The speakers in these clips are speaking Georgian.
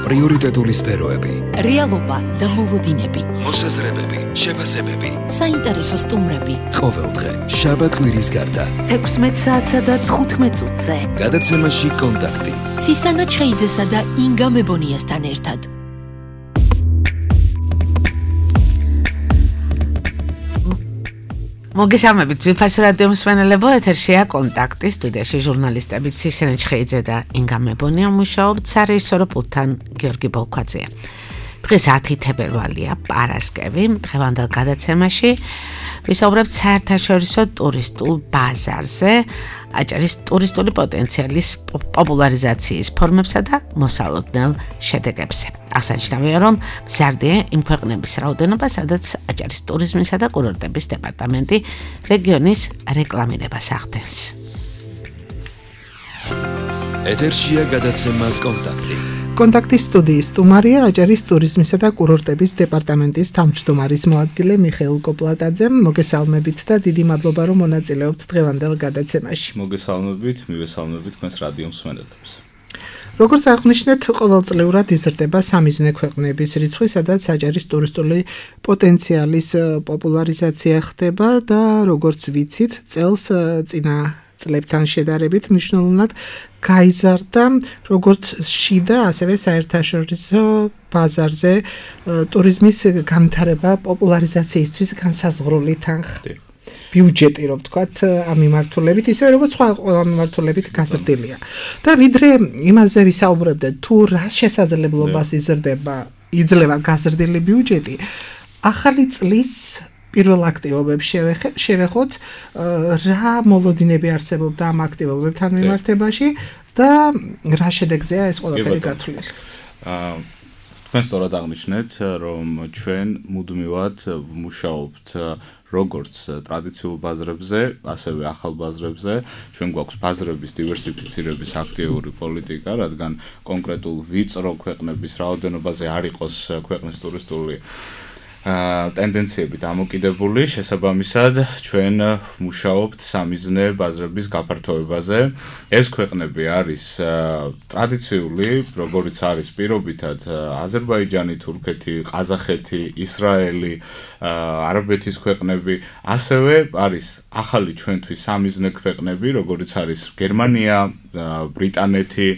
პრიორიტეტული სფეროები, რეალობა და მოლოდინები, მოსაზრებები, შეფასებები, საინტერესო სტუმრები. ყოველდღე, შაბათ-კვირის გარდა, 16 საათსა და 15 წუთზე. გადაცემაში კონტაქტი. ცისანა ჩხეიძესა და ინგა მებონიასთან ერთად. მოგესალმებით, ძვირფასი რადიო მსმენელებო, ეთერშია კონტაქტი, სტუდიაში ჟურნალისტები ცისანა ჩხეიძე და ინგა მებონია მუშაობთ, სარეჟისორო პულტთან გიორგი ბოლქვაძეა. დღეს 10 თებერვალია, პარასკევი, დღევანდელ გადაცემაში ვისაუბრებთ საერთაშორისო ტურისტულ ბაზარზე, აჭარის ტურისტული პოტენციალის პოპულარიზაციის ფორმებსა და მოსალოდნელ შედეგებზე. აღსანიშნავია, რომ მზარდია იმ ქვეყნების რაოდენობა, სადაც აჭარის ტურიზმისა და კურორტების დეპარტამენტი რეგიონის რეკლამირებას ახდენს. ეთერშია გადაცემა კონტაქტი. კონტაქტის სტუდიის სტუმარია აჭარის ტურიზმისა და კურორტების დეპარტამენტის თავმჯდომარის მოადგილე მიხეილ კოპლატაძე. მოგესალმებით და დიდი მადლობა, რომ მონაწილეობთ დღევანდელ გადაცემაში. მოგესალმებით, მივესალმებით თქვენს რადიო მსმენელებს. როგორც აღნიშნეთ, ყოველწლიურად იზრდება სამიზნე ქვეყნების რიცხვი, სადაც აჭარის ტურისტული პოტენციალის პოპულარიზაცია ხდება და როგორც ვიცით, წელს წინა წლებთან შედარებით მნიშვნელოვნად გაიზარდა როგორც შიდა, ასევე საერთაშორისო ბაზარზე ტურიზმის განვითარება პოპულარიზაციისთვის განსაზღვრული თანხა. ბიუჯეტი, რომ ვთქვათ, ამ მიმართულებით, ისევე როგორც სხვა ყველა მიმართულებით გაზრდილია. და ვიდრე იმაზე ვისაუბრებდეთ, თუ რა შესაძლებლობას იძლევა გაზრდილი ბიუჯეტი, ახალი წლის პირველ აქტივობებს შევეხოთ, რა მოლოდინები არსებობდა ამ აქტივობებთან მიმართებაში და რა შედეგზეა ეს ყველაფერი გათვლილი. თქვენ სწორად აღნიშნეთ, რომ ჩვენ მუდმივად ვმუშაობთ როგორც ტრადიციულ ბაზრებზე, ასევე ახალ ბაზრებზე. ჩვენ გვაქვს ბაზრების დივერსიფიცირების აქტიური პოლიტიკა, რადგან კონკრეტულ ვიწრო ქვეყნების რაოდენობაზე არ იყოს ქვეყნის ტურისტული ტენდენციები დამოკიდებული, შესაბამისად ჩვენ ვმუშაობთ სამიზნე ბაზრების გაფართოებაზე. ეს ქვეყნები არის ტრადიციული, როგორც არის პირობითად აზერბაიჯანი, თურქეთი, ყაზახეთი, ისრაელი, არაბეთის ქვეყნები, ასევე არის ახალი ჩვენთვის სამიზნე ქვეყნები, როგორც არის გერმანია, ბრიტანეთი,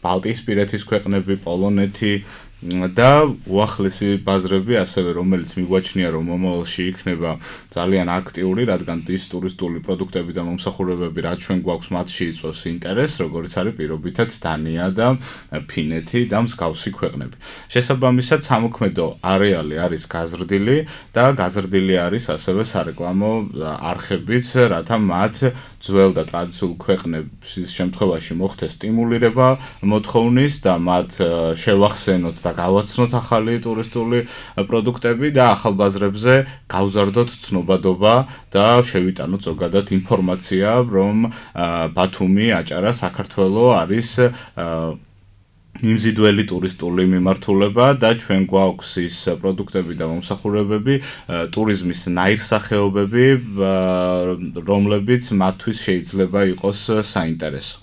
ბალტიისპირეთის ქვეყნები, პოლონეთი და უახლესი ბაზრები, ასევე რომელიც მიგვაჩნია, რომ მომავალში იქნება ძალიან აქტიური, რადგან ის ტურისტული პროდუქტები და მომსახურებები, რაც ჩვენ გვაქვს, მათში იწვევს ინტერესს, როგორც არის პირობითად დანია და ფინეთი და მსგავსი ქვეყნები. შესაბამისად, სამოქმედო არეალი არის გაზრდილი და გაზრდილი არის ასევე სარეკლამო არხებიც, რათა მათ ძველ და ტრადიციულ ქვეყნების შემთხვევაში მოხდეს სტიმულირება მოთხოვნის და მათ შევახსენოთ და გავაცნოთ ახალი ტურისტული პროდუქტები და ახალ ბაზრებზე გავზარდოთ ცნობადობა და შევიტანოთ ზოგადად ინფორმაცია, რომ ბათუმი, აჭარა, საქართველო არის მიმზიდველი ტურისტული მიმართულება და ჩვენ გვაქვს ის პროდუქტები და მომსახურებები, ტურიზმის ნაირსახეობები, რომლებიც მათთვის შეიძლება იყოს საინტერესო.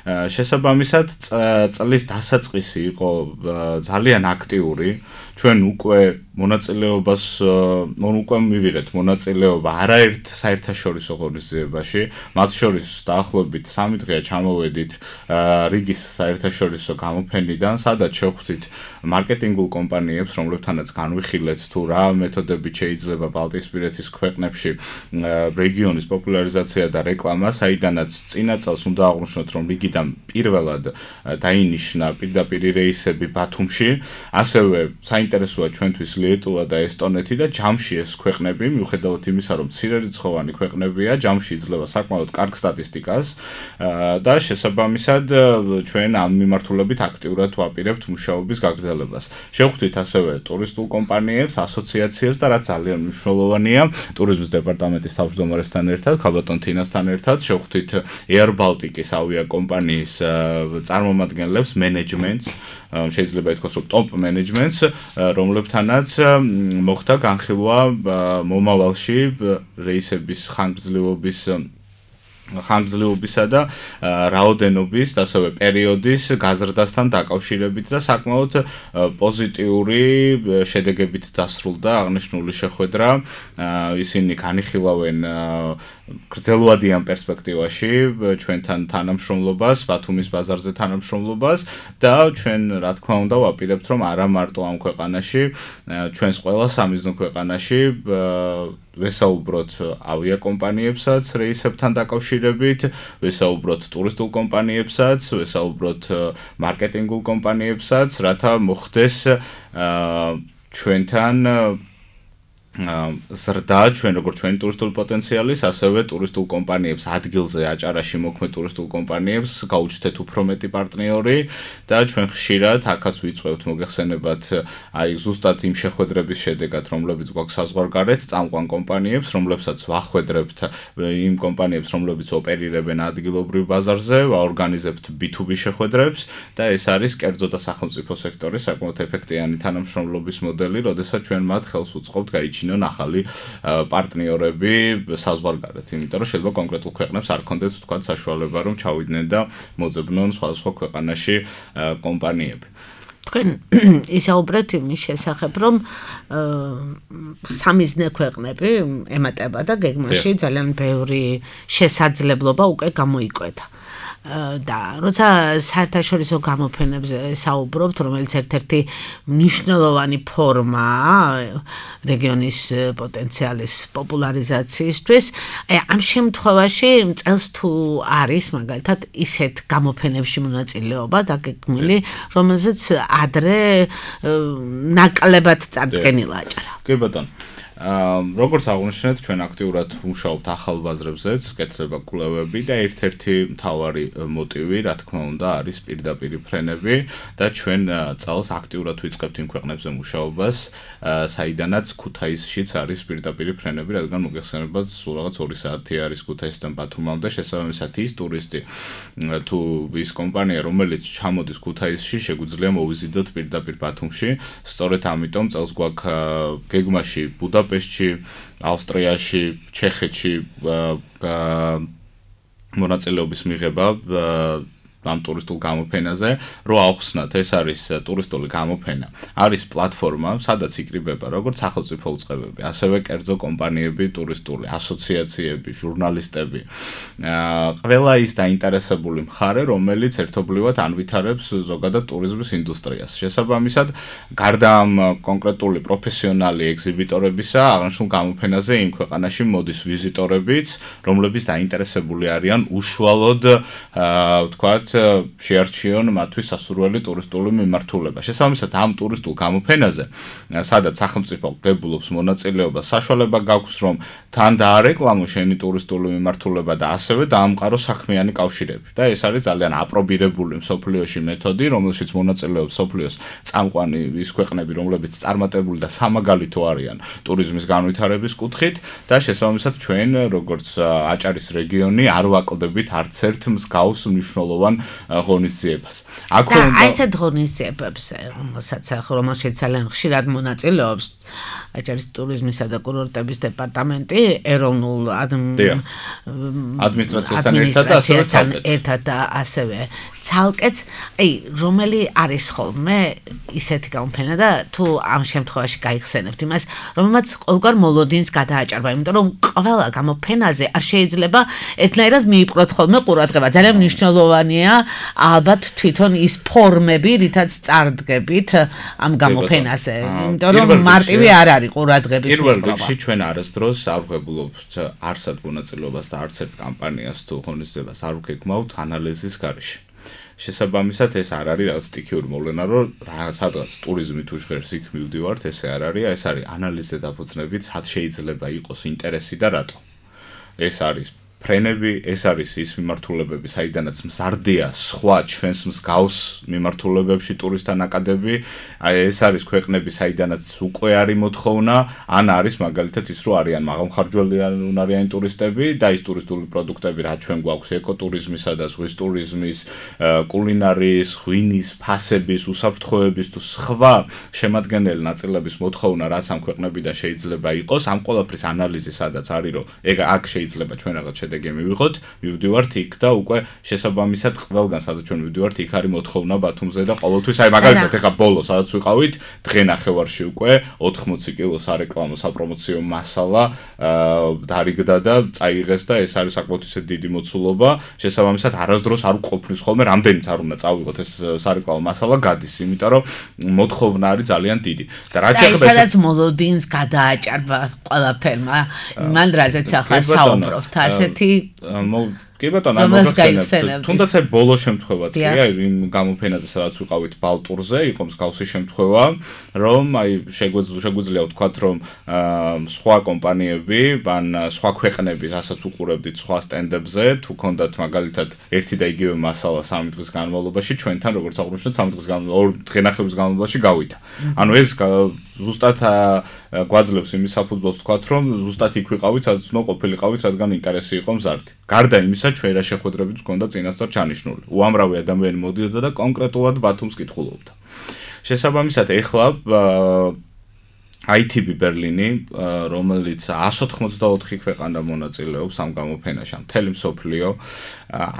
შესაბამისად, წლის დასაწყისი იყო ძალიან აქტიური. ჩვენ უკვე მივიღეთ მონაწილეობა არაერთ საერთაშორისო ღონისძიებაში, მათ შორის დაახლოებით 3 დღეა ჩამოვედით რიგის საერთაშორისო გამოფენიდან, სადაც შევხვდით მარკეტინგულ კომპანიებს, რომლებთანაც განვიხილეთ თუ რა მეთოდებით შეიძლება ბალტიისპირეთის ქვეყნებში რეგიონის პოპულარიზაცია და რეკლამა, საიდანაც წინა წელს უნდა აღვნიშნოთ, რომ რიგიდან პირველად დაინიშნა პირდაპირ რეისები ბათუმში, ასევე საინტერესოა ჩვენთვის ლიეტუვა და ესტონეთი და ჯამში ეს ქვეყნები, მიუხედავად იმისა, რომ მცირერიცხოვანი ქვეყნებია, ჯამში იძლევა საკმაოდ კარგ სტატისტიკას და შესაბამისად ჩვენ ამ მიმართულებით აქტიურად ვაპირებთ მუშაობის გაგრძელებას. შევხვდით ასევე ტურისტულ კომპანიებს, ასოციაციებს და რაც ძალიან მნიშვნელოვანია, ტურიზმის დეპარტამენტის თავმჯდომარესთან ერთად, ქალბატონ თინასთან ერთად შევხვდით Air Baltic-ის ავიაკომპანიის წარმომადგენლებს, მენეჯმენტს, შეიძლება ითქვას, რომ ტოპ მენეჯმენტს, რომლებთანაც მოხდა განხილვა მომავალში რეისების ხანგრძლივობის ხანგრძლივობისა და რაოდენობის, ასევე პერიოდის გაზრდასთან დაკავშირებით და საკმაოდ პოზიტიური შედეგებით დასრულდა აღნიშნული შეხვედრა. ისინი განიხილავენ გრძელვადიან პერსპექტივაში ჩვენთან თანამშრომლობას, ბათუმის ბაზარზე თანამშრომლობას და ჩვენ რა თქმა უნდა ვაპირებთ რომ არა მარტო ამ ქვეყანაში, ჩვენს ყველა სამიზნო ქვეყანაში ვესაუბროთ ავიაკომპანიებსაც რეისებთან დაკავშირებით, ვესაუბროთ ტურისტულ კომპანიებსაც, ვესაუბროთ მარკეტინგულ კომპანიებსაც, რათა მოხდეს ჩვენთან ზრდა ჩვენ როგორც ჩვენი ტურისტული პოტენციალის, ასევე ტურისტულ კომპანიებს ადგილზე აჭარაში მოქმედ ტურისტულ კომპანიებს გაუჩნდეთ უფრო მეტი პარტნიორი და ჩვენ ხშირად აქაც ვიწევთ მოგეხსენებათ აი ზუსტად იმ შეხვედრების შედეგად, რომლებიც გვაქვს საზღვარგარეთ, წამყვან კომპანიებს, რომლებსაც ვახვედრებთ იმ კომპანიებს, რომლებიც ოპერირებენ ადგილობრივ ბაზარზე, ვაორგანიზებთ B2B შეხვედრებს და ეს არის კერძო და სახელმწიფო სექტორის საკმაოდ ეფექტიანი თანამშრომლობის მოდელი, როდესაც ჩვენ მათ ხელს უწყობთ გაიჩინონ ახალი პარტნიორები საზღვარგარეთ, იმიტომ რომ შეიძლება კონკრეტულ ქვეყნებს არ ქონდეთ თქვა საშუალება რომ ჩავიდნენ და მოძებნონ სხვადასხვა ქვეყანაში კომპანიები. თქვენ ისაუბრეთ იმის შესახებ, რომ სამიზნე ქვეყნები ემატება და გეგმაში ძალიან ბევრი შესაძლებლობა უკვე გამოიკვეთა. და როცა საერთაშორისო გამოფენებზე საუბრობთ, რომელიც ერთ-ერთი მნიშვნელოვანი ფორმაა რეგიონის პოტენციალის პოპულარიზაციისთვის, ამ შემთხვევაში წელს თუ არის მაგალითად ისეთ გამოფენებში მონაწილეობა დაგეგმილი, რომელზეც ადრე ნაკლებად წარდგენილა აჭარა. კი ბატონო. როგორც აღნიშნეთ, ჩვენ აქტიურად ვმუშაობთ ახალ ბაზრებზეც, კეთდება კვლევები და ერთ-ერთი მთავარი მოტივი, რა თქმა უნდა, არის პირდაპირი ფრენები და ჩვენ წელს აქტიურად ვიწყებთ იმ ქვეყნებზე მუშაობას, საიდანაც ქუთაისშიც არის პირდაპირი ფრენები, რადგან მოგეხსენებათ, სულ რაღაც 2 საათი არის ქუთაისიდან ბათუმამდე, შესაბამისად ის ტურისტი თუ ის კომპანია, რომელიც ჩამოდის ქუთაისში, შეგვიძლია მოვიზიდოთ პირდაპირ ბათუმში, სწორედ ამიტომ წელს გვაქვს გეგმაში ბუდაპეშტში, ავსტრიაში, ჩეხეთში მონაწილეობის მიღება ამ ტურისტულ გამოფენაზე, რო ახსნათ, ეს არის ტურისტული გამოფენა. არის პლატფორმა, სადაც იკრიბება როგორც სახელმწიფო უწყებები, ასევე კერძო კომპანიები, ტურისტული ასოციაციები, ჟურნალისტები. ყველა ის დაინტერესებული მხარე, რომელიც ერთობლივად ანვითარებს ზოგადად ტურიზმის ინდუსტრიას. შესაბამისად, გარდა ამ კონკრეტული პროფესიონალი ეგზიბიტორებისა, აღნიშნულ გამოფენაზე იმ ქვეყანაში მოდის ვიზიტორებიც, რომლებიც დაინტერესებული არიან უშუალოდ, ვთქვათ, შეარჩიონ მათთვის სასურველი ტურისტული მიმართულება. შესაბამისად, ამ ტურისტულ გამოფენაზე, სადაც სახელმწიფო ღებულობს მონაწილეობას, საშუალება გაქვს, რომ თან დაარეკლამო შენი ტურისტული მიმართულება და ასევე დაამყარო საქმიანი კავშირები. და ეს არის ძალიან აპრობირებული მსოფლიოში მეთოდი, რომელშიც მონაწილეობს მსოფლიოს წამყვანი ის ქვეყნები, რომლებიც წარმატებული და სამაგალითო არიან ტურიზმის განვითარების კუთხით და შესაბამისად ჩვენ, როგორც აჭარის რეგიონი, არ ვაკლდებით არც ერთ მსგავს მნიშვნელოვან ღონისძიებას. და ესეთ ღონისძიებებს, რომელშიც ძალიან ხშირად მონაწილეობს აჭარის ტურიზმისა და კურორტების დეპარტამენტი, ეროვნულ ადმინისტრაციასთან ერთად და ასევე ცალკეც, რომელი არის ხოლმე ისეთი გამოფენა და თუ ამ შემთხვევაში გაიხსენებთ იმას, რომელმაც ყოველგვარ მოლოდინს გადააჭარბა, იმიტომ რომ ყველა გამოფენაზე არ შეიძლება ერთნაირად მიიპყროთ ხოლმე ყურადღება. ძალიან მნიშვნელოვანია ალბათ თვითონ ის ფორმები, რითაც წარდგებით ამ გამოფენაზე, იმიტომ რომ მარტივი არ არის ყურადღების პირველ რიგში ჩვენ არასდროს არ ვღებულობთ არსად მონაწილეობას და არც ერთ კამპანიას თუ ღონისძიებას არ ვგეგმავთ ანალიზის გარეშე. შესაბამისად ეს არ არის რაღაც სტიქიური მოვლენა, რომ სადღაც ტურიზმი თუ ჟღერს იქ მივდივართ, ესე არ არის, ეს არის ანალიზზე დაფუძნებით, სად შეიძლება იყოს ინტერესი და რატო. ეს არის ფრენები, ეს არის ის მიმართულებები, საიდანაც მზარდია სხვა ჩვენს მსგავს მიმართულებებში ტურისტთა ნაკადები, ეს არის ქვეყნები, საიდანაც უკვე არის მოთხოვნა, ან არის მაგალითად ის, რომ არიან მაღალმხარჯველიანი ტურისტები და ის ტურისტული პროდუქტები, რაც ჩვენ გვაქვს ეკოტურიზმისა და ზღვის ტურიზმის, კულინარიის, ღვინის, ფასების, უსაფრთხოების თუ სხვა შემადგენელი ნაწილების მოთხოვნა, რაც ამ ქვეყნებიდან შეიძლება იყოს, ამ ყველაფრის ანალიზი სადაც არის, რომ აქ შეიძლება ჩვენ რაღაც შედეგი მივიღოთ, მივდივართ იქ და უკვე შესაბამისად ყველგან სადაც ჩვენ მივდივართ, იქ არის მოთხოვნა ბათუმზე და ყოველთვის აი მაგალითად ეხა ბოლო სადაც ვიყავით, დღე-ნახევარში უკვე 80 კილოს სარეკლამო საპრომოციო მასალა დარიგდა და წაიღეს და ეს არის საკმაოდ ისე დიდი მოცულობა. შესაბამისად არასდროს არ ყოფნის ხოლმე, რამდენიც არ უნდა წავიღოთ ეს სარეკლამო მასალა გადის, იმიტომ რომ მოთხოვნა არის ძალიან დიდი. და რაც ეხება სადაც მოლოდინს გადააჭარბა ყველაფერმა, მან რაზეც ახლა საუბრობთ, ასეთი კი ბატონო, მოგხსენებთ. თუნდაც აი ბოლო შემთხვევაც კი აი იმ გამოფენაზე სადაც ვიყავით ბალტურზე, იყო მსგავსი შემთხვევა, რომ აი შეგვიძლია ვთქვათ, რომ სხვა კომპანიები, ან სხვა ქვეყნების, რასაც უყურებდით სხვა სტენდებზე, თუ ქონდათ მაგალითად ერთი და იგივე მასალა 3 დღის განმავლობაში, ჩვენთან როგორც აღნიშნეთ 3 დღის განმავლობაში, 2 დღე-ნახევრის განმავლობაში გავიდა. ანუ ეს ზუსტად გვაძლევს იმის საფუძველს ვთქვათ, რომ ზუსტად იქ ვიყავით, სადაც უნდა ყოფილიყავით, რადგან ინტერესი იყო მზარდი. გარდა იმისა, ჩვენ რა შეხვედრებიც გვქონდა წინასწარ ჩანიშნული. უამრავი ადამიანი მოდიოდა და კონკრეტულად ბათუმს კითხულობდა. შესაბამისად, ეხლა ITB ბერლინი, რომელიც 184 ქვეყანა მონაწილეობს ამ გამოფენაში, მთელი მსოფლიო,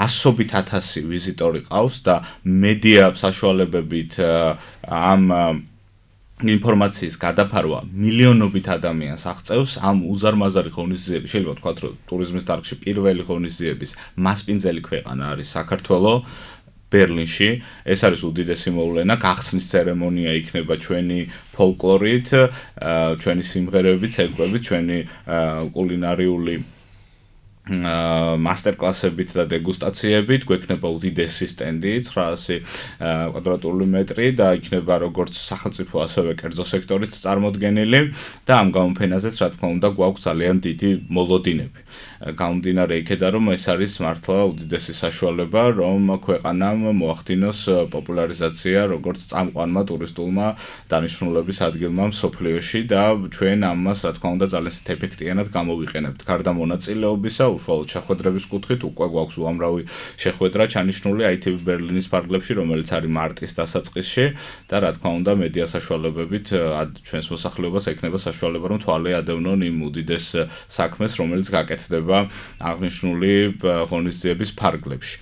100,000 ვიზიტორი ყავს და მედია საშუალებებით ამ ინფორმაციის გადაფარვა მილიონობით ადამიანს აღწევს ამ უზარმაზარი ღონისძიების, შეიძლება ვთქვათ, რომ ტურიზმის დარგში პირველი ღონისძიების მასპინძელი ქვეყანა არის საქართველო ბერლინში. ეს არის უდიდესი მოვლენა, გახსნის ცერემონია იქნება ჩვენი ფოლკლორით, ჩვენი სიმღერებით, ცეკვებით, ჩვენი კულინარიული მასტერკლასებით და დეგუსტაციებით, გვექნება უდიდესი სტენდი 900 კვადრატული მეტრი და იქნება როგორც სახელმწიფო ასევე კერძო სექტორიც წარმოდგენილი და ამ გამოფენაზეც რა თქმა უნდა გვაქვს ძალიან დიდი მოლოდინები. გამომდინარე იქედან რომ ეს არის მართლა უდიდესი საშუალება რომ ქვეყანამ მოახდინოს პოპულარიზაცია როგორც წამყვანმა ტურისტულმა დანიშნულების ადგილმა მსოფლიოში და ჩვენ ამას რა თქმა უნდა ძალიან ეფექტიანად გამოვიყენებთ. გარდა მონაწილეობისა უშუალოდ შეხვედრების კუთხით უკვე გვაქვს უამრავი შეხვედრა ჩანიშნული ITB ბერლინის ფარგლებში, რომელიც არის მარტის დასაწყისში და რა თქმა უნდა მედია საშუალებებით ჩვენს მოსახლეობას ექნება საშუალება რომ თვალე ადევნონ იმ უდიდეს საქმეს, რომელიც გაკეთდება აღნიშნული ღონისძიების ფარგლებში.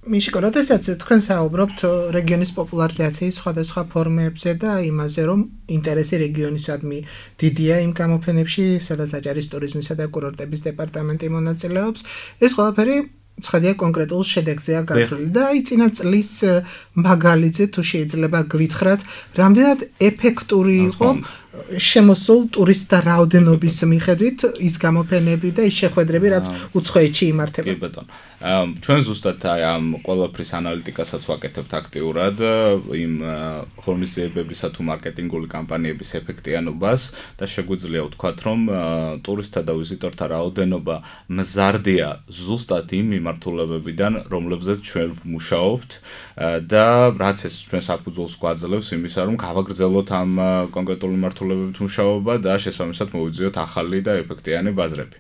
მიშკო, როდესაც თქვენ საუბრობთ რეგიონის პოპულარიზაციის სხვადასხვა ფორმებზე და იმაზე, რომ ინტერესი რეგიონისადმი დიდია იმ გამოფენებში, სადაც აჭარის ტურიზმისა და კურორტების დეპარტამენტი მონაწილეობს, ეს ყველაფერი ცხადია კონკრეტულ შედეგზეა გათვლილი და აი წინა წლის მაგალითზე თუ შეიძლება გვითხრათ, რამდენად ეფექტური იყო შემოსულ ტურისტთა რაოდენობის მიხედვით ის გამოფენები და ის შეხვედრები, რაც უცხოეთში იმართება. კი ბატონო. ჩვენ ზუსტად აი ამ ყველაფრის ანალიტიკასაც ვაკეთებთ აქტიურად იმ ღონისძიებებისა თუ მარკეტინგული კამპანიების ეფექტიანობას და შეგვიძლია ვთქვათ, რომ ტურისტთა და ვიზიტორთა რაოდენობა მზარდია ზუსტად იმ მიმართულებებიდან, რომლებზეც ჩვენ ვმუშაობთ და რაც ეს ჩვენ საფუძველს გვაძლევს იმისა, რომ გავაგრძელოთ ამ კონკრეტული მიმართულებებით მუშაობა და შესაბამისად მოვიძიოთ ახალი და ეფექტიანი ბაზრები.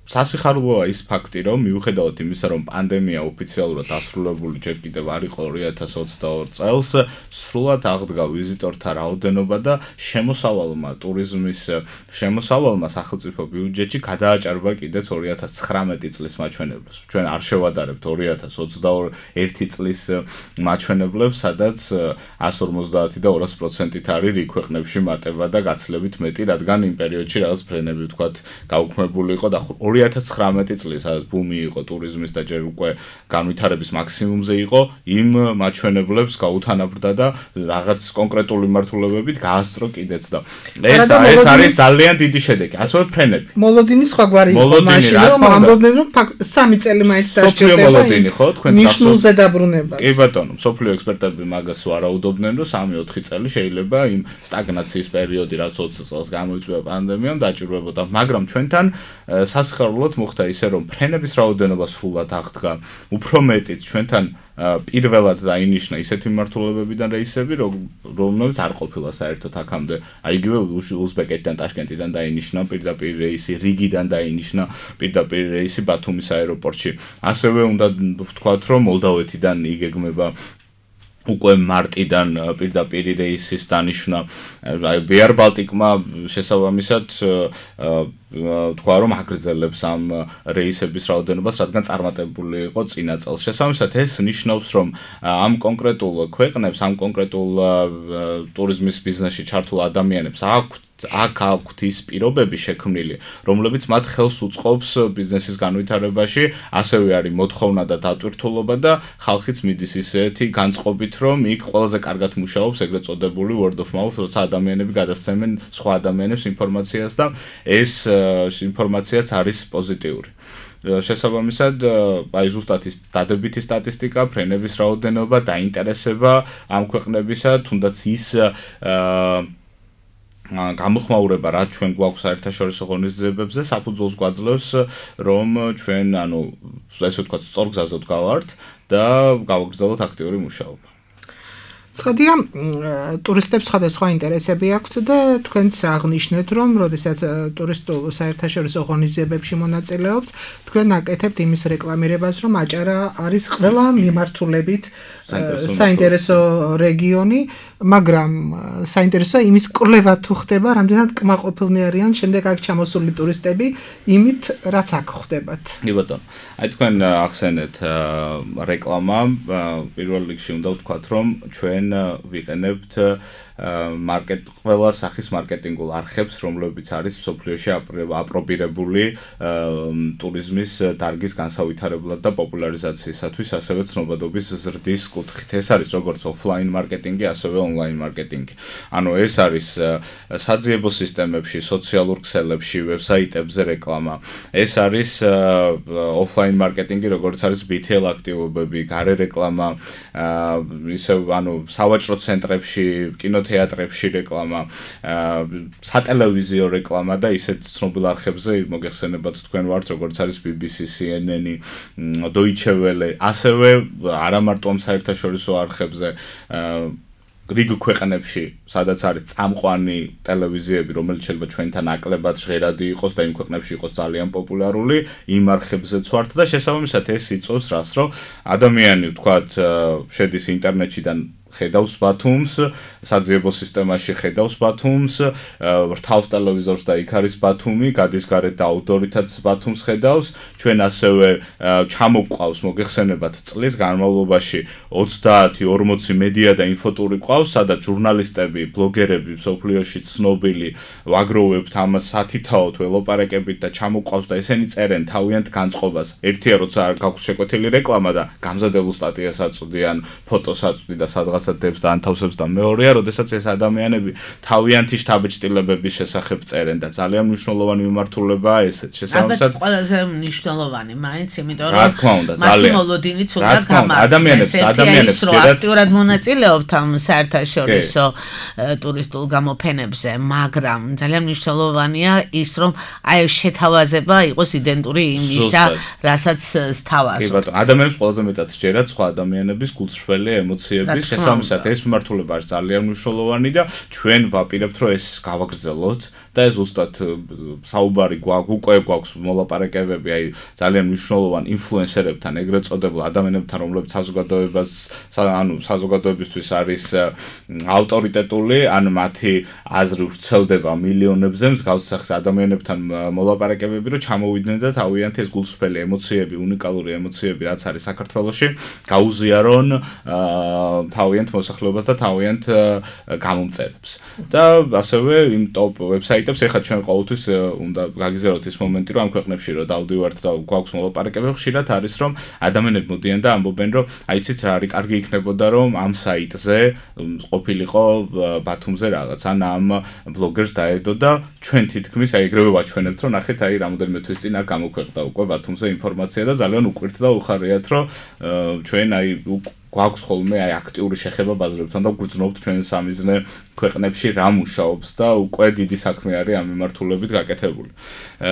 სასიხარულოა ის ფაქტი, რომ მიუხედავად იმისა, რომ პანდემია ოფიციალურად დასრულებული ჯერ კიდევ არ იყო 2022 წელს, სრულად აღდგა ვიზიტორთა რაოდენობა და შემოსავალმა ტურიზმის შემოსავალმა სახელმწიფო ბიუჯეტში გადააჭარბა კიდეც 2019 წლის მაჩვენებლებს. ჩვენ არ შევადარებთ 2021 წლის მაჩვენებლებს, სადაც 150 და 200%-ით არის რიგ ქვეყნებში მატება და გაცილებით მეტი, რადგან იმ პერიოდში რაღაც ფრენები ვთქვათ გაუქმებული იყო და 2019 წლის, სადაც ბუმი იყო ტურიზმის და ჯერ უკვე განვითარების მაქსიმუმზე იყო, იმ მაჩვენებლებს გაუთანაბრდა და რაღაც კონკრეტული მიმართულებებით გაასწრო კიდეც და ეს არის ძალიან დიდი შედეგი. ასევე ფრენები. მოლოდინის სხვაგვარი იყო მაშინ, რომ ამბობდნენ, რომ 3 წელი მაინც დასჭირდება. მოლოდინი ხო, თქვენ ნიშნულზე დაბრუნებას. კი ბატონო, მსოფლიო ექსპერტები მაგას ვარაუდობდნენ, რომ 3-4 წელი შეიძლება იმ სტაგნაციის პერიოდი, რაც 20 წელს გამოიწვია პანდემიამ, დაჭირვებოდა, მაგრამ ჩვენთან სასიხარულოდ მოხდა ისე, რომ ფრენების რაოდენობა სრულად აღდგა. უფრო მეტიც ჩვენთან პირველად დაინიშნა ისეთი მიმართულებებიდან რეისები, რომლებიც არ ყოფილა საერთოდ აქამდე. აი იგივე უზბეკეთიდან, ტაშკენტიდან დაინიშნა პირდაპირ რეისი, რიგიდან დაინიშნა პირდაპირ რეისი ბათუმის აეროპორტში. ასევე უნდა ვთქვათ, რომ მოლდავეთიდან იგეგმება უკვე მარტიდან პირდაპირ რეისის დანიშვნა Air Baltic-მა შესაბამისად თქვა რომ აგრძელებს ამ რეისების რაოდენობას, რადგან წარმატებული იყო წინა წელს. შესაბამისად ეს ნიშნავს, რომ ამ კონკრეტულ ქვეყნებს, ამ კონკრეტულ ტურიზმის ბიზნესში ჩართულ ადამიანებს აქვთ ის პირობები შექმნილი, რომლებიც მათ ხელს უწყობს ბიზნესის განვითარებაში, ასევე არის მოთხოვნა და დატვირთულობა და ხალხიც მიდის ისეთი განწყობით, რომ იქ ყველაზე კარგად მუშაობს ეგრეთ წოდებული word of mouth, როცა ადამიანები გადასცემენ სხვა ადამიანებს ინფორმაციას და ეს ინფორმაციაც არის პოზიტიური. შესაბამისად, აი ზუსტად ის დადებითი სტატისტიკა, ფრენების რაოდენობა, დაინტერესება ამ ქვეყნებისა, თუნდაც ის გამოხმაურება, რაც ჩვენ გვაქვს საერთაშორისო ღონისძიებებზე, საფუძველს გვაძლევს, რომ ჩვენ, ესე ვთქვათ, სწორ გზაზე ვდგავართ და გავაგრძელოთ აქტიური მუშაობა. ცხადია, ტურისტებს სხვადასხვა ინტერესები აქვთ და თქვენც აღნიშნეთ, რომ როდესაც ტურისტულ საერთაშორისო ღონისძიებებში მონაწილეობთ, თქვენ აკეთებთ იმის რეკლამირებას, რომ აჭარა არის ყველა მიმართულებით საინტერესო რეგიონი, მაგრამ საინტერესოა იმის კვლევა თუ ხდება, რამდენად კმაყოფილნი არიან შემდეგ აქ ჩამოსული ტურისტები იმით, რაც აქ ხდებათ. კი ბატონო, აი თქვენ ახსენეთ რეკლამა, პირველ რიგში უნდა ვთქვათ, რომ ჩვენ ვიყენებთ ყველა სახის მარკეტინგულ არხებს, რომლებიც არის მსოფლიოში აპრობირებული ტურიზმის დარგის განსავითარებლად და პოპულარიზაციისათვის, ასევე ცნობადობის ზრდის კუთხით. ეს არის როგორც ოფლაინ მარკეტინგი, ასევე ონლაინ მარკეტინგი. ეს არის საძიებო სისტემებში, სოციალურ ქსელებში, ვებსაიტებზე რეკლამა. ეს არის ოფლაინ მარკეტინგი, როგორც არის BTL აქტივობები, გარე რეკლამა, ისევ სავაჭრო ცენტრებში, კინოთეატრებში რეკლამა, სატელევიზიო რეკლამა და ისეთ ცნობილ არხებზე მოგეხსენებათ თქვენ ვართ, როგორც არის BBC, CNN, Deutsche Welle, ასევე არა მარტო ამ საერთაშორისო არხებზე, რიგ ქვეყნებში, სადაც არის წამყვანი ტელევიზიები, რომელიც შეიძლება ჩვენთან ნაკლებად ჟღერადი იყოს და იმ ქვეყნებში იყოს ძალიან პოპულარული, იმ არხებზეც ვართ და შესაბამისად ეს იწვევს რას, რომ ადამიანი, ვთქვათ, შედის ინტერნეტში და ხედავს ბათუმს, საძიებო სისტემაში ხედავს ბათუმს, რთავს ტელევიზორს და იქ არის ბათუმი, გადის გარეთ და აუდიტორითაც ბათუმს ხედავს. ჩვენ ასევე ჩამოგვყავს, მოგეხსენებათ, წლის განმავლობაში 30-40 მედია და ინფოტური ყავს, სადაც ჟურნალისტები, ბლოგერები, მსოფლიოში ცნობილი ვაგროვებთ ამას სათითაოდ ველოპარაკებით და ჩამოგვყავს და ესენი წერენ თავიანთ განწყობას. ერთია, როცა გაქვს შეკვეთილი რეკლამა და გამზადებულ სტატიას აწვდიან, ფოტოს აწვდიან და სადღაც დებს და ანთავსებს და მეორეა, როდესაც ეს ადამიანები თავიანთი შთაბეჭდილებების შესახებ წერენ და ძალიან მნიშვნელოვანი მიმართულებაა ესეც. შესაბამისად, ყველაზე მნიშვნელოვანი მაინც, იმიტომ რომ რა თქმა უნდა, ძალიან მოლოდინიც უნდა გამართლდეს. ადამიანებს აქტიურად მონაწილეობთ ამ საერთაშორისო ტურისტულ გამოფენებზე, მაგრამ ძალიან მნიშვნელოვანია ის, რომ აი შეთავაზება იყოს იდენტური იმისა, რასაც სთავაზობთ. კი ბატონო, ადამიანებს ყველაზე მეტად სჯერათ სხვა ადამიანების გულწრფელი ემოციების შესაბამისად ეს მიმართულება არის ძალიან მნიშვნელოვანი და ჩვენ ვაპირებთ, რომ ეს გავაგრძელოთ და ეს ზუსტად საუბარი უკვე გვაქვს მოლაპარაკებები, აი ძალიან მნიშვნელოვან ინფლუენსერებთან, ეგრეთ წოდებულ ადამიანებთან, რომლებიც საზოგადოებისთვის არის ავტორიტეტული, ან მათი აზრი ვრცელდება მილიონებზე, მსგავს სახის ადამიანებთან მოლაპარაკებები, რომ ჩამოვიდნენ და თავიანთი ეს გულწრფელი ემოციები, უნიკალური ემოციები, რაც არის საქართველოში, გაუზიარონ თავიანთ მოსახლეობას და თავიანთ გამომწერებს. და ასევე იმ ტოპ ვებსაიტებს ეხლა ჩვენ ყოველთვის უნდა გაგიზიაროთ ის მომენტი, რომ ამ ქვეყნებში რომ დავდივართ და გვაქვს მოლაპარაკებები, ხშირად არის რომ ადამიანები მოდიან და ამბობენ, რომ აიცით რა არის კარგი იქნებოდა, რომ ამ საიტზე ყოფილიყო ბათუმზე რაღაც, ან ამ ბლოგერს დაედო და ჩვენ თითქმის აი ეგრევე ვაჩვენებთ, რომ ნახეთ აი რამოდენიმე თვის წინ აქ გამოქვეყნდა უკვე ბათუმზე ინფორმაცია და ძალიან უკვირთ და უხარიათ, რომ ჩვენ აი გვაქვს ხოლმე აი აქტიური შეხება ბაზრებთან და გვგრძნობთ ჩვენ სამიზნე ქვეყნებში რა მუშაობს და უკვე დიდი საქმე არის ამ მიმართულებით გაკეთებული.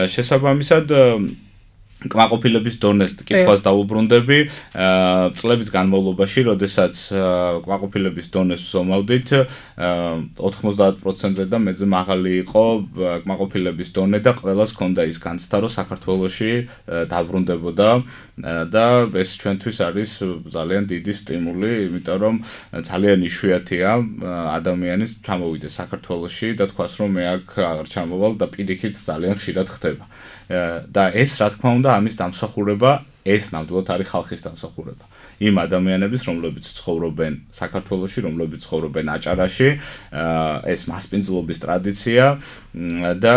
შესაბამისად კმაყოფილების დონეს კითხვას დავუბრუნდები წლების განმავლობაში, როდესაც კმაყოფილების დონეს ვზომავდით 90%-ზე და მეზე მაღალი იყო კმაყოფილების დონე და ყველას ჰქონდა ის განცდა, რომ საქართველოში დაბრუნდებოდა და ეს ჩვენთვის არის ძალიან დიდი სტიმული, იმიტომ რომ ძალიან იშვიათია ადამიანის ჩამოვიდეს საქართველოში და თქვას რომ მე აქ აღარ ჩამოვალ და პირიქით ძალიან ხშირად ხდება. და ეს რა თქმა უნდა ამის დამსახურება ეს ნამდვილად არის ხალხის დამსახურება. იმ ადამიანების, რომლებიც ცხოვრობენ საქართველოში, რომლებიც ცხოვრობენ აჭარაში, ეს მასპინძლობის ტრადიცია და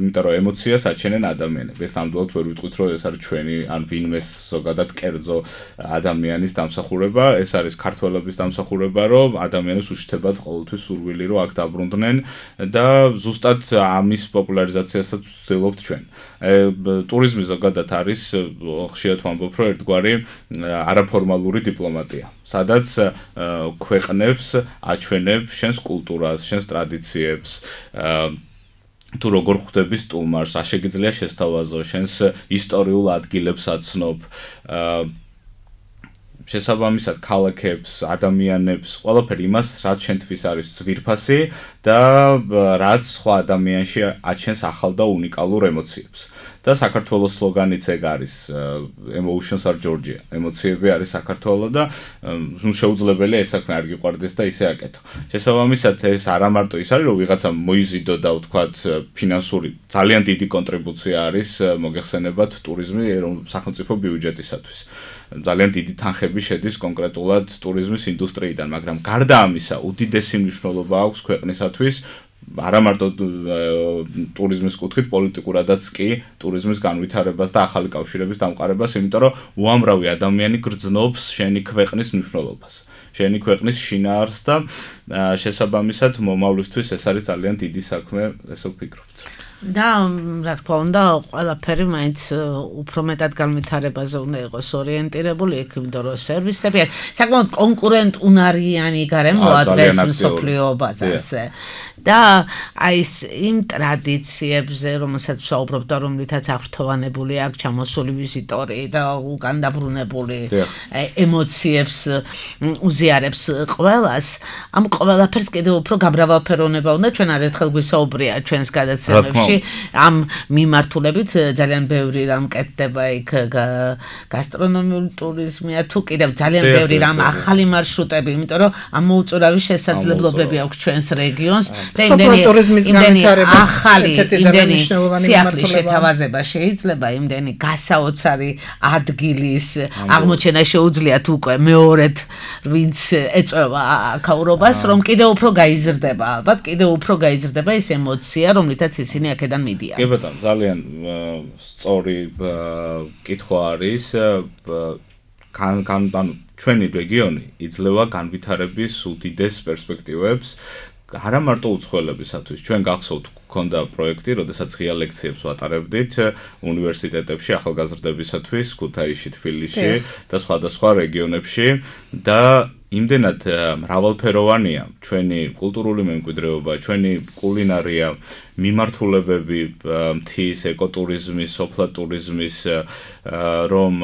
იმიტომ რომ ემოციას აჩენენ ადამიანები. ეს ნამდვილად ვერ ვიტყვით, რომ ეს არის ჩვენი ან ვინმეს ზოგადად კერძო ადამიანის დამსახურება, ეს არის ქართველების დამსახურება, რომ ადამიანებს უშთებათ ყოველთვის სურვილი, რომ აქ დაბრუნდნენ და ზუსტად ამის პოპულარიზაციასაც ვცდილობთ ჩვენ. ტურიზმი ზოგადად არის ხშირად ვამბობ, რომ ერთგვარი არაფორმალური დიპლომატია, სადაც ქვეყნებს აჩვენებ შენს კულტურას, შენს ტრადიციებს, თუ როგორ ხვდები სტუმარს, რა შეგიძლია შესთავაზო, შენს ისტორიულ ადგილებს აცნობ, შესაბამისად ქალაქებს, ადამიანებს, ყველაფერი იმას, რაც შენთვის არის ძვირფასი და რაც სხვა ადამიანში აჩენს ახალ და უნიკალურ ემოციებს. და საქართველოს სლოგანიც ეგ არის emotions are Georgia. ემოციები არის საქართველო და შეუძლებელია ეს საქმე არ გიყვარდეს და ისე აკეთო. შესაბამისად ეს არა მარტო ის არის რომ ვიღაცა მოიზიდო და ვთქვათ ფინანსური ძალიან დიდი კონტრიბუცია არის მოგეხსენებათ ტურიზმი სახელმწიფო ბიუჯეტისათვის. ძალიან დიდი თანხები შედის კონკრეტულად ტურიზმის ინდუსტრიიდან, მაგრამ გარდა ამისა, უდიდესი მნიშვნელობა აქვს ქვეყნისათვის არა მარტო ტურიზმის კუთხით, პოლიტიკურადაც კი ტურიზმის განვითარებას და ახალი კავშირების დამყარებას, იმიტომ რომ უამრავი ადამიანი გრძნობს შენი ქვეყნის მნიშვნელობას, შენი ქვეყნის შინაარსს და შესაბამისად მომავლისთვის ეს არის ძალიან დიდი საქმე, ესე ვფიქრობთ. და რა თქმა უნდა, ყველაფერი მაინც უფრო მეტად განვითარებაზე უნდა იყოს ორიენტირებული, იმიტომ რომ სერვისები საკმაოდ კონკურენტუნარიანი გარემოა დღეს მსოფლიო ბაზარზე. და აი ეს იმ ტრადიციებზე, რომელსაც ვსაუბრობ და რომლითაც აღფრთოვანებული აქვს ჩამოსული ვიზიტორი და უკან დაბრუნებული ემოციებს უზიარებს ყველას, ამ ყველაფერს კიდევ უფრო გამრავალფეროვნება უნდა. ჩვენ არერთხელ გვისაუბრია ჩვენს გადაცემებში ამ მიმართულებით ძალიან ბევრი რამ კეთდება იქ გასტრონომიული ტურიზმია თუ კიდევ ძალიან ბევრი რამ ახალი მარშრუტები, იმიტომ რომ ამ მოუწურავი შესაძლებლობები აქვს ჩვენს რეგიონს და იმდენი ახალი იმდენი სიახლის შეთავაზება შეიძლება, იმდენი გასაოცარი ადგილის აღმოჩენა შეუძლიათ უკვე მეორედ ვინც ეწევა აქაურობას, რომ კიდევ უფრო გაიზრდება, ალბათ კიდევ უფრო გაიზრდება ეს ემოცია, რომლითაც ისინი აქედან მიდიან. კი ბატონო, ძალიან სწორი კითხვა არის. ჩვენი რეგიონი იძლევა განვითარების უდიდეს პერსპექტივებს. არა მარტო უცხოელებისათვის, ჩვენ გახსოვთ გქონდა პროექტი, როდესაც ღია ლექციებს ვატარებდით უნივერსიტეტებში ახალგაზრდებისათვის, ქუთაისში, თბილისში და სხვადასხვა რეგიონებში და იმდენად მრავალფეროვანია ჩვენი კულტურული მემკვიდრეობა, ჩვენი კულინარია, მიმართულებები მთის, ეკოტურიზმის, სოფლა ტურიზმის, რომ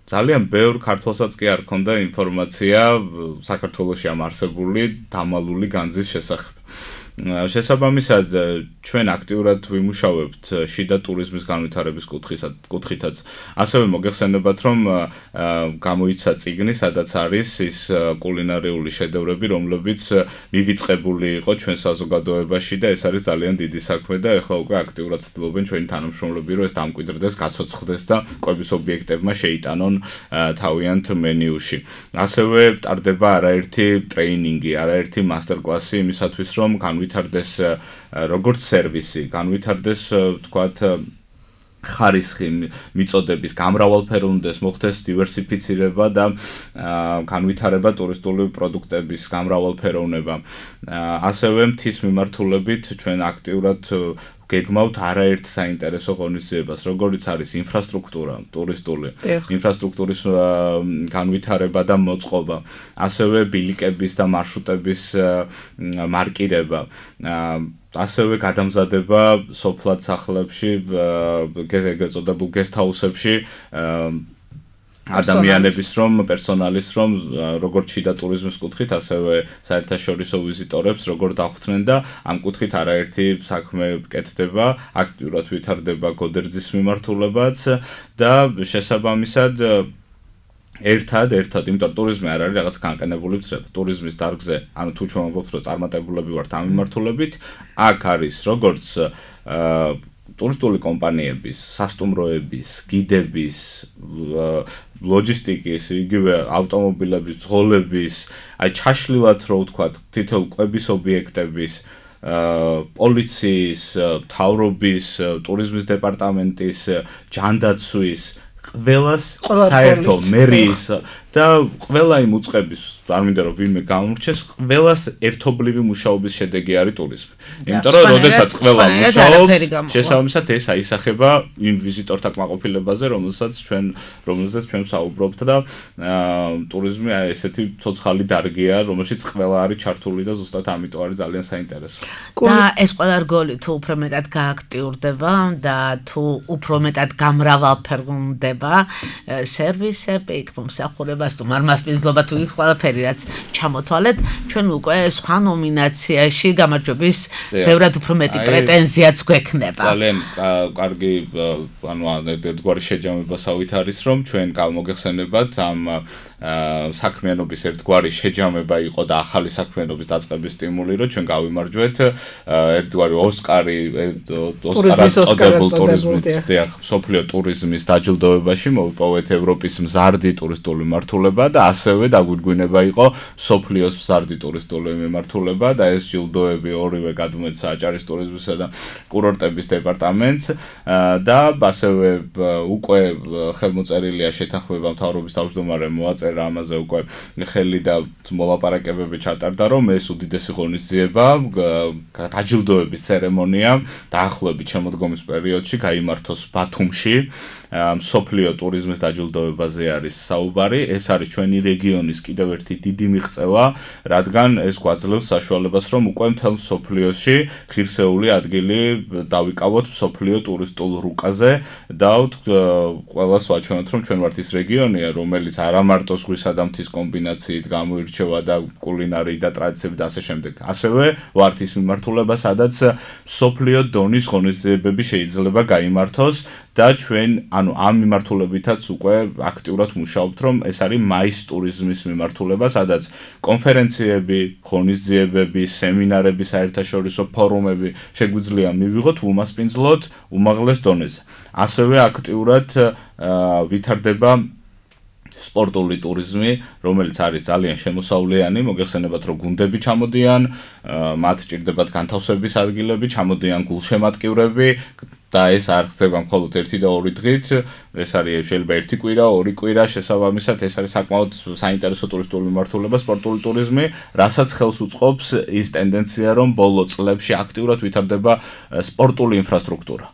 ძალიან ბევრ ქართველსაც კი არ ქონდა ინფორმაცია საქართველოში ამ არსებული დამალული განძის შესახებ. შესაბამისად, ჩვენ აქტიურად ვიმუშავებთ შიდა ტურიზმის განვითარების კუთხითაც. ასევე მოგეხსენებათ, რომ გამოიცა წიგნი, სადაც არის ის კულინარიული შედევრები, რომლებიც მივიწყებული იყო ჩვენ საზოგადოებაში და ეს არის ძალიან დიდი საქმე და ეხლა უკვე აქტიურად ცდილობენ ჩვენი თანამშრომლები, რომ ეს დამკვიდრდეს, გაცოცხლდეს და კვების ობიექტებმა შეიტანონ თავიანთ მენიუში. ასევე ტარდება არაერთი ტრეინინგი, არაერთი მასტერკლასი იმისათვის, რომ განვითარდეს როგორც სერვისი, განვითარდეს თქვათ ხარისხი მიწოდების გამრავალფეროვნდეს, მოხდეს დივერსიფიცირება და განვითარება ტურისტული პროდუქტების გამრავალფეროვნება. ასევე მთის მიმართულებით ჩვენ აქტიურად გეგმავთ არაერთ საინტერესო ღონისძიებას, როგორიც არის ინფრასტრუქტურა, ტურისტული ინფრასტრუქტურის განვითარება და მოწყობა, ასევე ბილიკების და მარშრუტების მარკირება, ასევე გადამზადება სოფლად სახლებში, ეგრეთ წოდებულ გესტჰაუსებში ადამიანების პერსონალის როგორც შიდა ტურიზმის კუთხით, ასევე საერთაშორისო ვიზიტორებს როგორ დახვდნენ და ამ კუთხით არაერთი საქმე კეთდება, აქტიურად ვითარდება გოდერძის მიმართულებაც და შესაბამისად ერთად, იმიტომ ტურიზმი არ არის რაღაც განყენებული წრება. ტურიზმის დარგზე, ანუ თუ ჩვენ ვამბობთ, რომ წარმატებულები ვართ ამ მიმართულებით, აქ არის როგორც ტურისტული კომპანიების, სასტუმროების, გიდების, ლოჯისტიკის, იგივე ავტომობილების, ძღოლების, აი ჩაშლილად რო ვთქვათ, თითოეულ კვების ობიექტების, პოლიციის, მთავრობის, ტურიზმის დეპარტამენტის, ჯანდაცვის, ყველას საერთო მერიის და ყველა იმ უწყების, არ მინდა რომ ვინმე გამორჩეს, ყველას ერთობლივი მუშაობის შედეგი არის ტურიზმი. იმიტომ რომ როდესაც ყველა მუშაობს, შესაბამისად ეს აისახება იმ ვიზიტორთა კმაყოფილებაზე, რომელსაც ჩვენ საუბრობთ და ტურიზმი აი ესეთი ცოცხალი დარგია, რომელშიც ყველა არის ჩართული და ზუსტად ამიტომ არის ძალიან საინტერესო. და ეს ყველა რგოლი თუ უფრო მეტად გააქტიურდება და თუ უფრო მეტად გამრავალფეროვნება სერვისები, მომსახურებას თუ მარმასპინძლობა თუ ყველაფერი რაც ჩამოთვალეთ, ჩვენ უკვე სხვა ნომინაციაში გამარჯვების ბევრად უფრო მეტი პრეტენზიაც გვექნება. ძალიან კარგი, ანუ ერთგვარი შეჯამებასავით არის, რომ ჩვენ გამოგეხსენებათ ამ საქმიანობის ერთგვარი შეჯამება იყო და ახალი საქმიანობის დაწყების სტიმული, რომ ჩვენ გავიმარჯვეთ ერთგვარი ოსკარად წოდებულ ტურიზმით, მსოფლიო ტურიზმის დაჯილდოებაში მოვიპოვეთ ევროპის მზარდი ტურისტული მიმართულება და ასევე დაგვირგვინება იყო მსოფლიოს მზარდი ტურისტული მიმართულება და ეს ჯილდოები ორივე გადმოეცა აჭარის ტურიზმისა და კურორტების დეპარტამენტს და ასევე უკვე ხელმოწერილია შეთანხმება მთავრობის თავმჯდომარემ მოაწერა ამაზე უკვე ხელი და მოლაპარაკებები ჩატარდა, რომ ეს უდიდესი ღონისძიება, დაჯილდოების ცერემონია დაახლოებით შემოდგომის პერიოდში გაიმართოს ბათუმში. მსოფლიო ტურიზმის დაჯილდოებაზე არის საუბარი, ეს არის ჩვენი რეგიონის კიდევ ერთი დიდი მიღწევა, რადგან ეს გვაძლევს საშუალებას, რომ უკვე მთელ მსოფლიოში ღირსეული ადგილი დავიკავოთ მსოფლიო ტურისტულ რუკაზე და ყველას ვაჩვენოთ, რომ ჩვენ ვართ ის რეგიონია, რომელიც არა მარტო ზღვისა და მთის კომბინაციით გამოირჩევა და კულინარიით და ტრადიციებით და ასე შემდეგ. ასევე ვართ ის მიმართულება, სადაც მსოფლიო დონის ღონისძიებები შეიძლება გაიმართოს და ჩვენ ანუ ამ მიმართულებითაც უკვე აქტიურად მუშაობთ, რომ ეს არის მაის ტურიზმის მიმართულება, სადაც კონფერენციები, ღონისძიებები, სემინარები, საერთაშორისო ფორუმები შეგვიძლია მივიღოთ უმასპინძლოდ უმაღლეს დონეზე. ასევე აქტიურად ვითარდება სპორტული ტურიზმი, რომელიც არის ძალიან შემოსავლიანი, მოგეხსენებათ, რომ გუნდები ჩამოდიან, მათ ჭირდებათ განთავსების ადგილები, ჩამოდიან გულშემატკივრები და ეს არ ხდება მხოლოდ 1 და 2 დღით, ეს არის შეიძლება 1 კვირა, 2 კვირა, შესაბამისად ეს არის საკმაოდ საინტერესო ტურისტული მიმართულება, სპორტული ტურიზმი, რასაც ხელს უწყობს ის ტენდენცია, რომ ბოლო წლებში აქტიურად ვითარდება სპორტული ინფრასტრუქტურა.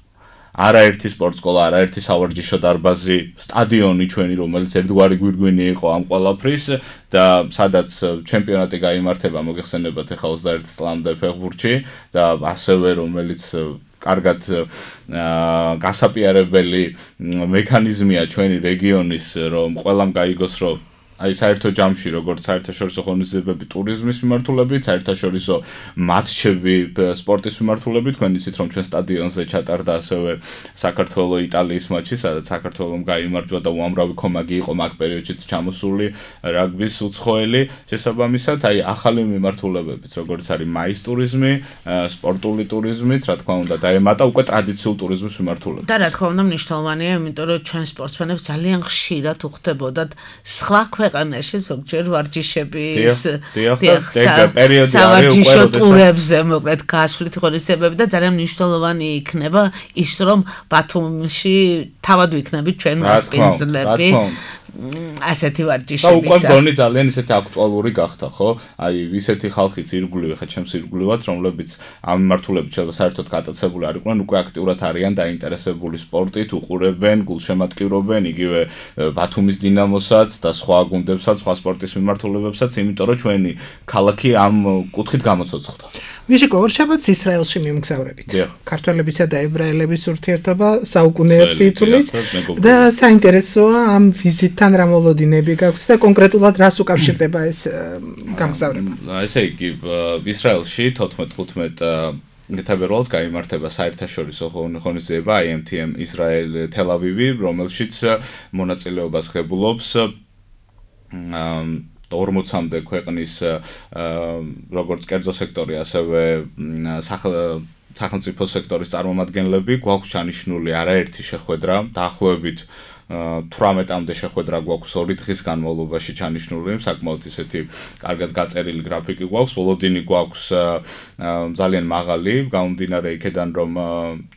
არაერთი სპორტსკოლა, არაერთი სავარჯიშო დარბაზი, სტადიონი ჩვენი, რომელიც ერთგვარი გვირგვინი იყო ამ ყველაფრის და სადაც ჩემპიონატი გაიმართება, მოგეხსენებათ ახლა 21 წლამდე ფეხბურთში და ასევე რომელიც კარგად გასაპირებელი მექანიზმია ჩვენი რეგიონის, რომ ყველამ გაიგოს, რომ აი საერთო ჯამში, როგორც საერთაშორისო ღონისძიებები ტურიზმის მიმართულებით, საერთაშორისო მატჩები სპორტის მიმართულებით, თქვენ იცით, რომ ჩვენ სტადიონზე ჩატარდა ასევე საქართველო-იტალიის მატჩი, სადაც საქართველომ გაიმარჯვა და უამრავი კომაგი იყო მაგ პერიოდშიც ჩამოსული რაგბის უცხოელი. შესაბამისად, აი ახალი მიმართულებებიც, როგორც არის მაის ტურიზმი, სპორტული ტურიზმიც, რა თქმა უნდა, დაემატა უკვე ტრადიციულ ტურიზმის მიმართულებას. და რა თქმა უნდა, მნიშვნელოვანია, იმიტომ რომ ჩვენ სპორტსმენებს ძალიან ხშირად უხდებოდათ სხვა ქვეყანაში ზოგჯერ ვარჯიშების პერიოდი არის უკვე ტურებზე მოკლედ გასვლით ღონისძიებები და ძალიან მნიშვნელოვანი იქნება ის, რომ ბათუმში თავად ვიქნებით ჩვენ მასპინძლები ასეთი და ვარჯიშებისა. უკვე გონი ძალიან ისეთი აქტუალური გახდა, ხო? აი, ისეთი ხალხიც ირგვლივ, ხა ჩემს ირგვლივაც, რომლებიც ამ მიმართულებით შეიძლება საერთოდ გატაცებული არ იყვნენ, უკვე აქტიურად არიან დაინტერესებული სპორტით, უყურებენ, გულშემატკივრობენ, იგივე ბათუმის დინამოსაც და სხვა გუნდებსაც, სხვა სპორტის მიმართულებებსაც, იმიტომ რომ ჩვენი ქალაქი ამ კუთხით გამოცოცხლდა. მიშიკო, ორშაბათს ისრაელში მიმგზავრებით. ქართველებისა და ებრაელების ურთიერთობა საუკუნეებს ითვლის და საინტერესოა ამ ვიზიტთან რა მოლოდინები გაქვთ და კონკრეტულად რას უკავშირდება ეს გამგზავრება. ესე იგი, ისრაელში 14-15 თებერვალს გაიმართება საერთაშორისო ღონისძიება IMTM Israel Tel Aviv-ი, რომელშიც მონაწილეობას ღებულობს 40-მდე ქვეყნის როგორც კერძო სექტორი, ასევე სახელმწიფო სექტორის წარმომადგენლები. გვაქვს ჩანიშნული არაერთი შეხვედრა, დაახლოებით 18-მდე შეხვედრა გვაქვს 2 დღის განმავლობაში ჩანიშნული, საკმაოდ ისეთი კარგად გაწერილი გრაფიკი გვაქვს, ბოლოდინი გვაქვს ძალიან მაღალი, გამომდინარე იქედან რომ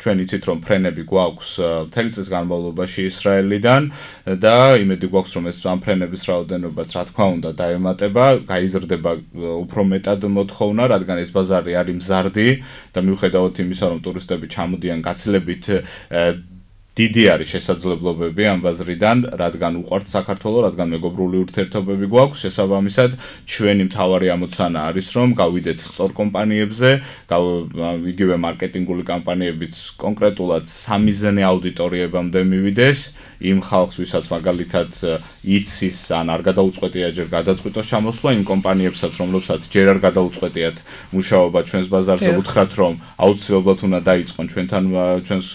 ჩვენ იცით რომ ფრენები გვაქვს მთელი წლის განმავლობაში ისრაელიდან და იმედი გვაქვს რომ ეს ამ ფრენების რაოდენობაც რა თქმა უნდა დაემატება, გაიზრდება უფრო მეტად მოთხოვნა, რადგან ეს ბაზარი არის მზარდი და მიუხედავად იმისა რომ ტურისტები ჩამოდიან გაცილებით დიდი არის შესაძლებლობები ამ ბაზრიდან, რადგან უყვართ საქართველო, რადგან მეგობრული ურთიერთობები გვაქვს, შესაბამისად, ჩვენი მთავარი ამოცანა არის, რომ გავიდეთ სწორ კომპანიებზე, იგივე მარკეტინგული კამპანიებიც კონკრეტულად სამიზნე აუდიტორიებამდე მივიდეს, იმ ხალხს, ვისაც მაგალითად იცის ან არ გადაუწყვეტია ჯერ გადაწყვიტოს ჩამოსვლა, იმ კომპანიებსაც, რომლებსაც ჯერ არ გადაუწყვეტიათ მუშაობა ჩვენს ბაზარზე, უთხრათ, რომ აუცილებლად უნდა დაიწყონ ჩვენს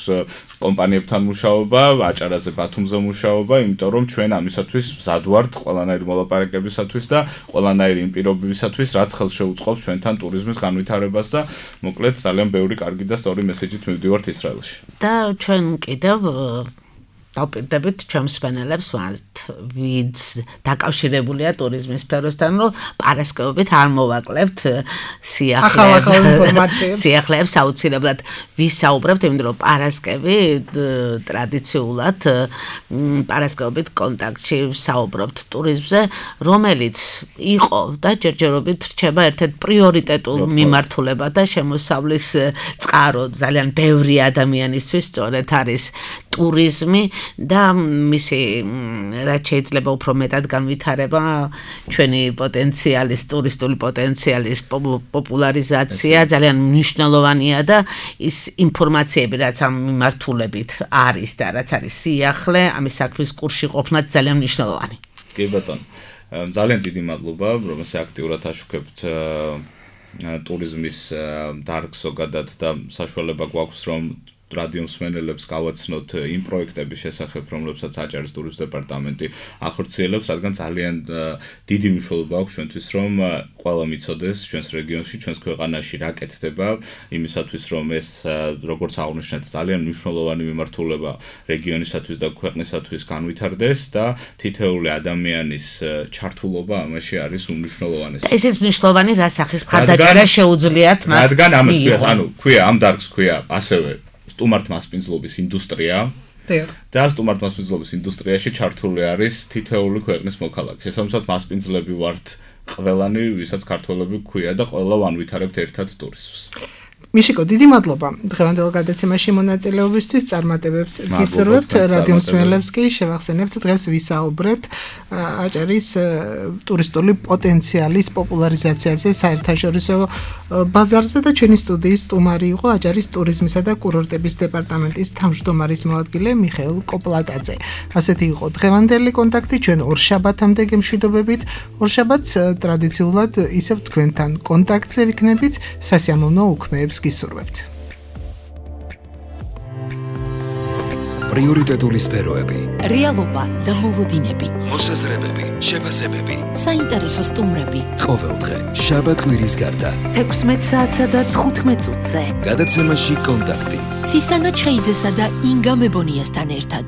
კომპანიებთან მუშაობა, აჭარაზე ბათუმზე მუშაობა, იმიტომ რომ ჩვენ ამისათვის მზად ვართ ყველანაირი მოლაპარაკებისათვის და ყველანაირი იმ პირობებისათვის, რაც ხელს შეუწყობს ჩვენთან ტურიზმის განვითარებას და მოკლედ ძალიან ბევრი კარგი და სწორი მესეჯით მივდივართ ისრაელში. და ჩვენ კიდევ დავპირდებით ჩვენ მსმენელებს ვინც დაკავშირებულია ტურიზმის სფეროსთან, რომ პარასკევობით არ მოვაკლებთ სიახლეებს აუცილებლად ვისაუბრებთ, იმიტომ რომ პარასკევი ტრადიციულად პარასკევობით კონტაქტში ვსაუბრობთ ტურიზმზე, რომელიც იყო და ჯერჯერობით რჩება ერთ-ერთ პრიორიტეტულ მიმართულებად და შემოსავლის წყარო ძალიან ბევრი ადამიანისთვის სწორედ არის ტურიზმი და მისი რაც შეიძლება უფრო მეტად განვითარება ჩვენი პოტენციალის ტურისტული პოტენციალის პოპულარიზაცია ძალიან მნიშვნელოვანია და ის ინფორმაციები რაც ამ მიმართულებით არის და რაც არის სიახლე ამის საქმის კურსში ყოფნაც ძალიან მნიშვნელოვანი. კი ბატონო, ძალიან დიდი მადლობა რომ ესე აქტიურად აშუქებთ ტურიზმის დარგს ზოგადად და საშუალება გვაქვს რომ რადიო მსმენელებს გავაცნოთ იმ პროექტების შესახებ, რომლებსაც აჭარის ტურიზმის დეპარტამენტი ახორციელებს, რადგან ძალიან დიდი მნიშვნელობა აქვს ჩვენთვის, რომ ყველა მიცოდეს ჩვენს რეგიონში, ჩვენს ქვეყანაში რა კეთდება, იმისათვის, რომ ეს როგორც აღნიშნეთ, ძალიან მნიშვნელოვანი მიმართულება რეგიონისათვის და ქვეყნისათვის განვითარდეს და თითეული ადამიანის ჩართულობა ამაში არის უმნიშვნელოვანესი. ესეც მნიშვნელოვანი რა სახის მხარდაჭერა შეუძლიათ მათ. რადგან ამას ქვია, ამ დარგს ქვია ასევე სტუმართმასპინძლობის ინდუსტრია და სტუმართმასპინძლობის ინდუსტრიაში ჩართული არის თითეული ქვეყნის მოქალაქე. შესაბამისად, მასპინძლები ვართ ყველანი, ვისაც ქართველები გვქვია და ყველა ვანვითარებთ ერთად ტურიზმს. მიშიკო, დიდი მადლობა დღევანდელ გადაცემაში მონაწილეობისთვის, წარმატებებს გისურვებთ, რადიო მსმენელებს კი შევახსენებთ, დღეს ვისაუბრეთ აჭარის ტურისტული პოტენციალის პოპულარიზაციაზე საერთაშორისო ბაზარზე და ჩვენი სტუდიის სტუმარი იყო აჭარის ტურიზმისა და კურორტების დეპარტამენტის თავმჯდომარის მოადგილე მიხეილ კოპლატაძე. ასეთი იყო დღევანდელი კონტაქტი, ჩვენ ორშაბათამდე გემშვიდობებით, ორშაბათს ტრადიციულად ისევ თქვენთან კონტაქტზე ვიქნებით, სასიამოვნო უქმეებს გისურვებთ. პრიორიტეტული სფეროები, რეალობა და მოლოდინები, მოსაზრებები, შეფასებები, საინტერესო სტუმრები. ყოველდღე შაბათ-კვირის გარდა 16 საათსა და 15 წუთზე გადაცემაში კონტაქტი. ცისანა ჩხეიძესა და ინგა მებონიასთან ერთად.